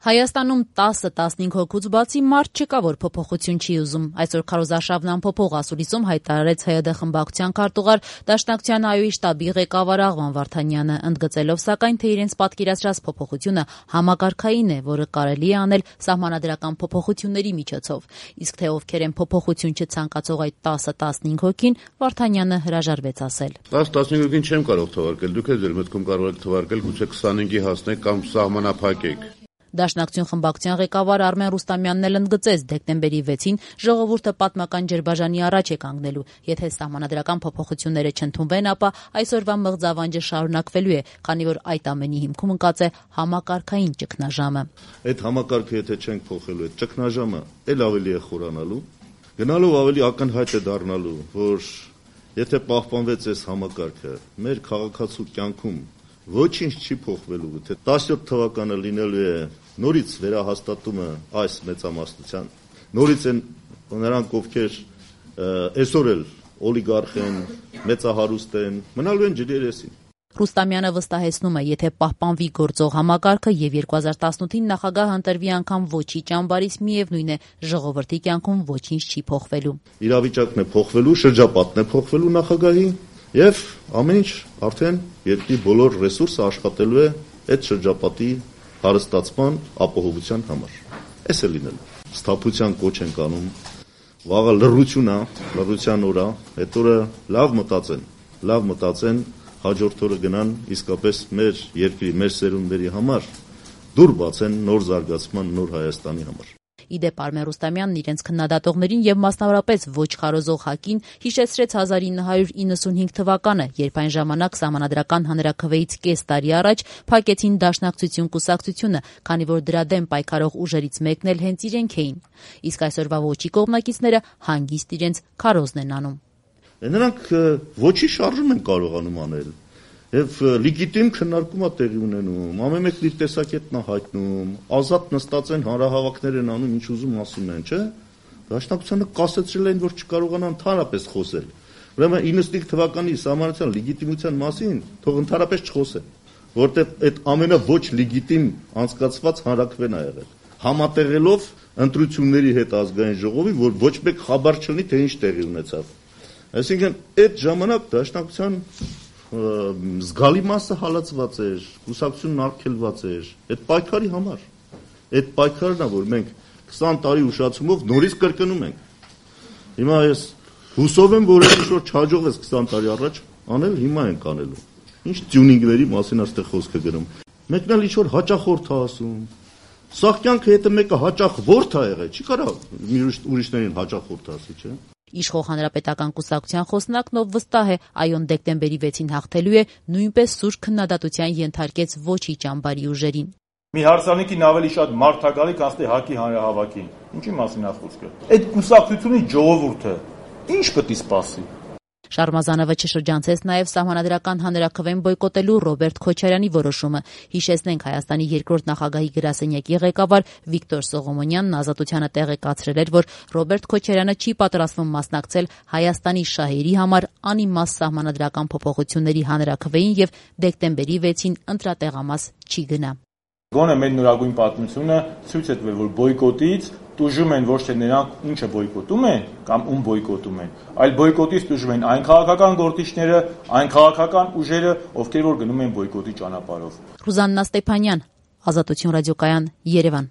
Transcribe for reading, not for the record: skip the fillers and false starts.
Հայաստանում 10-15 հոգուց բացի մարդ չկա, որ փոփոխություն չի ուզում։ Այսօր քարոզարշավն անփոփոխ ասուլիսում հայտարարեց ՀՅԴ խմբակցության քարտուղար Դաշնակցության ԱՅՈ-ի շտաբի ղեկավար Աղվան Վարդանյանը, ընդգծելով սակայն, թե իրենց պատկերացրած փոփոխությունը համակարգային է, որը կարելի է անել սահմանադրական փոփոխությունների միջոցով։ Իսկ թե ովքեր են փոփոխություն չցանկացող այդ 10-15 հոգին, Վարդանյանը հրաժարվեց ասել։ 10-15 հոգին չեմ կարող թվարկել, դուք էլ ձեր մտքում կարող եք թվարկել, գուցե 25-ի հասնեք կամ սահմանափակեք։ Դաշնակցություն խմբակցության ղեկավար Արմեն Ռուստամյանն էլ ընդգծեց, դեկտեմբերի 6-ին ժողովուրդը պատմական ջրբաժանի առաջ է կանգնելու։ Եթե սահմանադրական փոփոխությունները չընդունվեն, ապա այսօրվա մղձավանջը շարունակվելու է, քանի որ այդ ամենի հիմքում ընկած է համակարգային ճգնաժամը։ Այդ համակարգը եթե չենք փոխելու, այդ ճգնաժամը էլ ավելի է խորանալու, գնալով ավելի ակնհայտ է դառնալու, որ եթե պահպանվեց այս համակարգը, մեր քաղաքացու կյանքում ոչինչ չի փոխվելու, թե 17 թվականը լինելու է նորից վերահաստատումը այս մեծամասնության, նորից են նրանք, ովքեր այսօր էլ օլիգարխ են, մեծահարուստ են, մնալու են ջրի երեսին։ Ռուստամյանը վստահեցնում է, եթե պահպանվի գործող համակարգը եւ 2018-ին նախագահը ընտրվի անգամ ոչի ճամբարից, միևնույն է, ժողովրդի կյանքում ոչինչ չի փոխվելու։ Իրավիճակն է փոխվելու, շրջապատն է փոխվելու նախագահի եւ ամեն ինչ արդեն երկրի բոլոր ռեսուրսը աշխատելու է այդ շրջապատի հարստացման ապահովության համար։ Էս է լինելու։ Սթափության կոչ են կանում, վաղը լռության օր է, այդ օրը լավ մտածեն, հաջորդ օրը գնան իսկապես մեր երկրի, մեր սերունդների համար դուր բացեն նոր զարգացման, նոր Հայաստանի համար։ Իդեպ Արմեն Ռուստամյանն իրենց քննադատողներին եւ մասնավորապես ոչ խարոզող ՀԱԿ-ին հիշեցրեց 1995 թվականը, երբ այն ժամանակ սահմանադրական հանրաքվեից կես տարի առաջ փակեցին Դաշնակցություն կուսակցությունը, քանի որ դրա դեմ պայքարող ուժերից մեկն էլ հենց իրենք էին։ Իսկ այսօրվա ոչի կողմնակիցները հանգիստ իրենց քարոզն են անում։ Նրանք ոչի շարժում են կարողանում անել եւ լեգիտիմ քննարկում է տեղի ունենում, ամեն մեկն իր տեսակետն է հայտնում, ազատ նստած են, հանրահավաքներ են անում, ինչ ուզում ասում են, չէ՞։ Դաշնակցությանը կասեցրել են, որ չկարողանան ընդհանրապես խոսել։ Ուրեմն 95 թվականի սահմանադրական լեգիտիմության մասին թող ընդհանրապես չխոսեն, որտեղ այդ ամենաոչ լեգիտիմ անցկացված հանրաքվեն է եղել, համատեղելով ընտրությունների հետ ազգային ժողովի, որ ոչ մեկ խաբար չունի, թե ինչ տեղի ունեցավ։ Այսինքն այդ ժամանակ Դաշնակցության զգալի մասը հալածված էր, կուսակցությունն արգելված էր այդ պայքարի համար։ Այդ պայքարն է, որ մենք 20 տարի ուշացումով նորից կրկնում ենք։ Հիմա ես հուսով եմ, որ ինչ-որ չհաջողվեց 20 տարի առաջ անել, հիմա ենք անելու։ Ինչ տյունինգների մասին այստեղ խոսք է գնում։ Մեկն էլ ինչ-որ հաճախորդ է ասում։ Սա կյանքը եթե մեկը հաճախորդ է եղել, չի կարող ուրիշներին հաճախորդ ասի, չէ՞։ Իշխող հանրապետական կուսակցության խոսնակն ով վստահ է, ԱՅՈ-ն դեկտեմբերի 6-ին հաղթելու է, նույնպես սուր քննադատության ենթարկեց ոչի ճամբարի ուժերին։ Մի հարսանեկին ավելի շատ մարդ է գալի, քան ՀԱԿ-ի հանրահավաքին։ Ինչի մասին է խոսքը։ Այդ կուսակցությունի ժողովուրդը ինչ պետք է սպասի։ Շարմազանովը չշրջանցեց նաև սահմանադրական հանրաքվեն բոյկոտելու Ռոբերտ Քոչարյանի որոշումը։ Հիշեցնենք, Հայաստանի երկրորդ նախագահի գրասենյակի ղեկավար Վիկտոր Սողոմոնյանն Ազատությանը տեղեկացրել էր, որ Ռոբերտ Քոչարյանը չի պատրաստվում մասնակցել Հայաստանի շահերի համար անիմաստ սահմանադրական փոփոխությունների հանրաքվեին եւ դեկտեմբերի 6-ին ընտրատեղամաս չի գնա։ Գոնե մեր նորագույն պատմությունը ցույց է տվել, որ բոյկոտից տուժում են ոչ թե նրանք, ինչը բոյկոտում են կամ ում բոյկոտում են, այլ բոյկոտից տուժում են այն քաղաքական գործիչները, այն քաղաքական ուժերը, ովքեր որ գնում են բոյկոտի ճանապարհով։ Ռուզաննա Ստեփանյան, Ազատություն ռադիոկայան, Երևան։